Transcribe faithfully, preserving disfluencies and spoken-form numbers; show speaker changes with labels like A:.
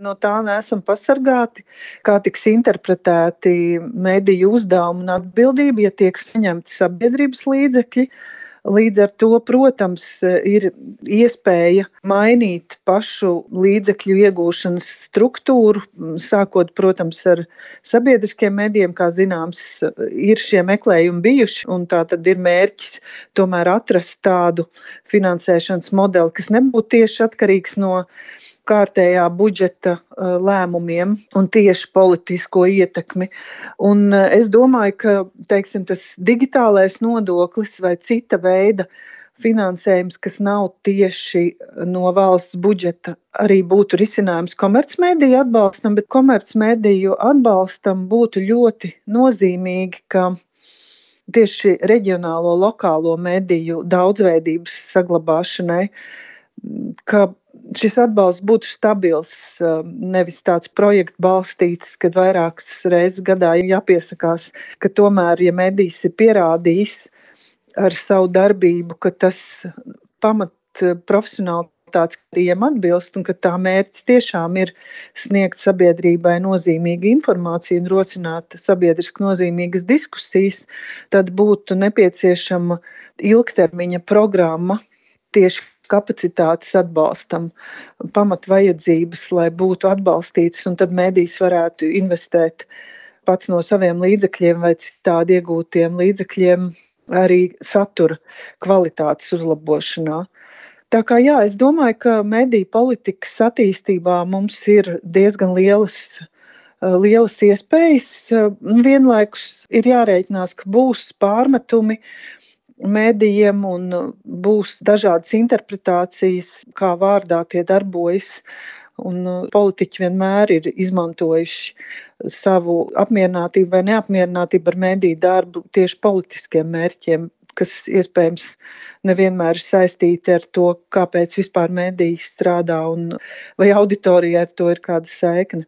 A: No tā neesam pasargāti, kā tiks interpretēti mediju uzdevumi un atbildība, ja tiek saņemti sabiedrības līdzekļi. Līdz ar to, protams, ir iespēja mainīt pašu līdzekļu iegūšanas struktūru, sākot, protams, ar sabiedriskiem medijiem, kā zināms, ir šie meklējumi bijuši, un tā tad ir mērķis tomēr atrast tādu finansēšanas modeli, kas nebūtu tieši atkarīgs no kārtējā budžeta lēmumiem un tieši politisko ietekmi. Un es domāju, ka, teiksim, tas digitālais nodoklis vai cita veida finansējums, kas nav tieši no valsts budžeta, arī būtu risinājums komercmediju atbalstam, bet komercmediju atbalstam būtu ļoti nozīmīgi, ka tieši reģionālo, lokālo mediju daudzveidības saglabāšanai, ka šis atbalsts būtu stabils, nevis tāds projektu balstīts, kad vairākas reizes gadā jāpiesakās, ka tomēr, ja medijs ir pierādījis ar savu darbību, ka tas pamat profesionālitātes kritērijiem atbilst un ka tā mērķis tiešām ir sniegt sabiedrībai nozīmīgu informāciju un rosināt sabiedriski nozīmīgas diskusijas, tad būtu nepieciešama ilgtermiņa programma tieši kapacitātes atbalstam, pamatvajadzības, lai būtu atbalstītas, un tad medijs varētu investēt pats no saviem līdzekļiem vai citādi iegūtiem līdzekļiem arī satura kvalitātes uzlabošanā. Tā kā jā, es domāju, ka mediju politikas attīstībā mums ir diezgan lielas, lielas iespējas. Vienlaikus ir jārēķinās, ka būs pārmetumi medijiem un būs dažādas interpretācijas, kā vārdā tie darbojas. Un politiķi vienmēr ir izmantojuši savu apmierinātību vai neapmierinātību ar mediju darbu tieši politiskiem mērķiem, kas iespējams nevienmēr ir saistīti ar to, kāpēc vispār mediji strādā un vai auditorijai ar to ir kāda saikne.